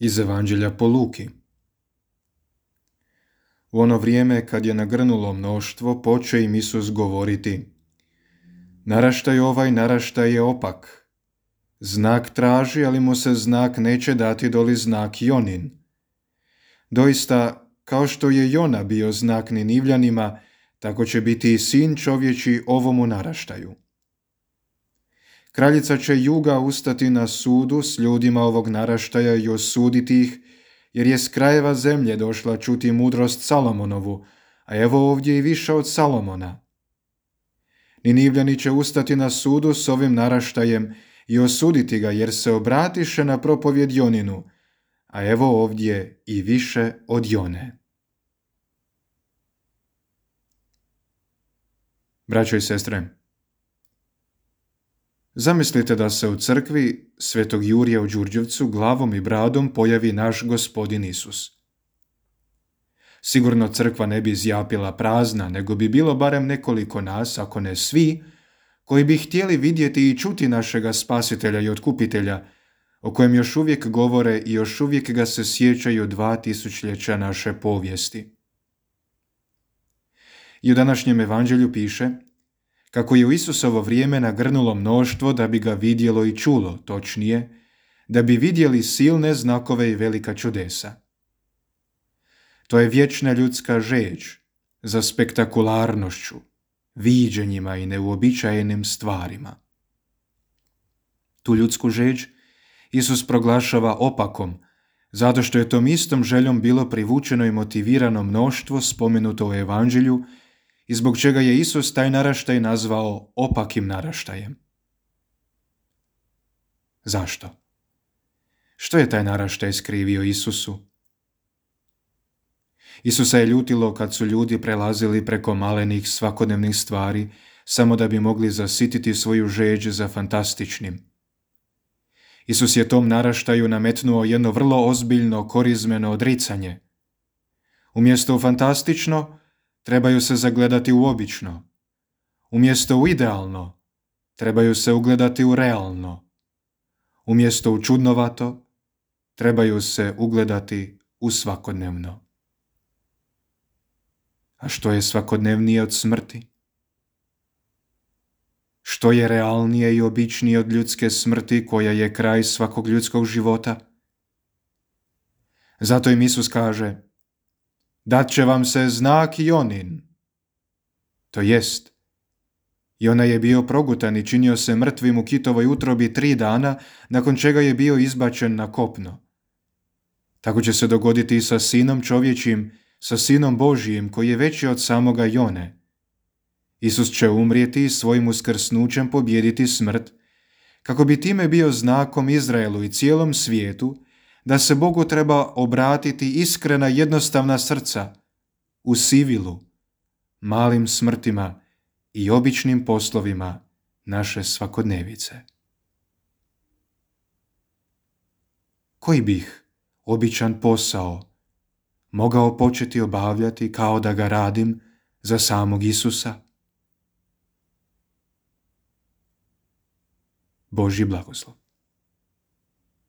Iz Evanđelja po Luki. U ono vrijeme kad je nagrnulo mnoštvo, poče im Isus govoriti: Naraštaj ovaj, naraštaj je opak. Znak traži, ali mu se znak neće dati doli znak Jonin. Doista, kao što je Jona bio znak Ninivljanima, tako će biti i sin čovječi ovomu naraštaju. Kraljica će juga ustati na sudu s ljudima ovog naraštaja i osuditi ih, jer je s krajeva zemlje došla čuti mudrost Salomonovu, a evo ovdje i više od Salomona. Ninivljani će ustati na sudu s ovim naraštajem i osuditi ga, jer se obratiše na propovjed Joninu, a evo ovdje i više od Jone. Braćo i sestre, zamislite da se u crkvi Svetog Jurija u Đurđevcu glavom i bradom pojavi naš Gospodin Isus. Sigurno crkva ne bi zjapila prazna, nego bi bilo barem nekoliko nas, ako ne svi, koji bi htjeli vidjeti i čuti našega Spasitelja i Otkupitelja, o kojem još uvijek govore i još uvijek ga se sjećaju 2000 naše povijesti. I u današnjem evanđelju piše kako je u Isusovo vrijeme nagrnulo mnoštvo da bi ga vidjelo i čulo, točnije, da bi vidjeli silne znakove i velika čudesa. To je vječna ljudska žeđ za spektakularnošću, viđenjima i neuobičajenim stvarima. Tu ljudsku žeđ Isus proglašava opakom, zato što je tom istom željom bilo privučeno i motivirano mnoštvo spomenuto u evanđelju i zbog čega je Isus taj naraštaj nazvao opakim naraštajem. Zašto? Što je taj naraštaj skrivio Isusu? Isusa je ljutilo kad su ljudi prelazili preko malenih svakodnevnih stvari samo da bi mogli zasititi svoju žeđ za fantastičnim. Isus je tom naraštaju nametnuo jedno vrlo ozbiljno korizmeno odricanje. Umjesto u fantastično, trebaju se zagledati u obično. Umjesto u idealno, trebaju se ugledati u realno. Umjesto u čudnovato, trebaju se ugledati u svakodnevno. A što je svakodnevnije od smrti? Što je realnije i običnije od ljudske smrti koja je kraj svakog ljudskog života? Zato im Isus kaže: Dat će vam se znak Jonin. To jest, Jona je bio progutan i činio se mrtvim u kitovoj utrobi 3 dana, nakon čega je bio izbačen na kopno. Tako će se dogoditi i sa Sinom čovječim, sa Sinom Božijim koji je veći od samoga Jone. Isus će umrijeti i svojim uskrsnućem pobijediti smrt, kako bi time bio znakom Izraelu i cijelom svijetu da se Bogu treba obratiti iskrena jednostavna srca u sivilu, malim smrtima i običnim poslovima naše svakodnevice. Koji bih običan posao mogao početi obavljati kao da ga radim za samog Isusa? Božji blagoslov.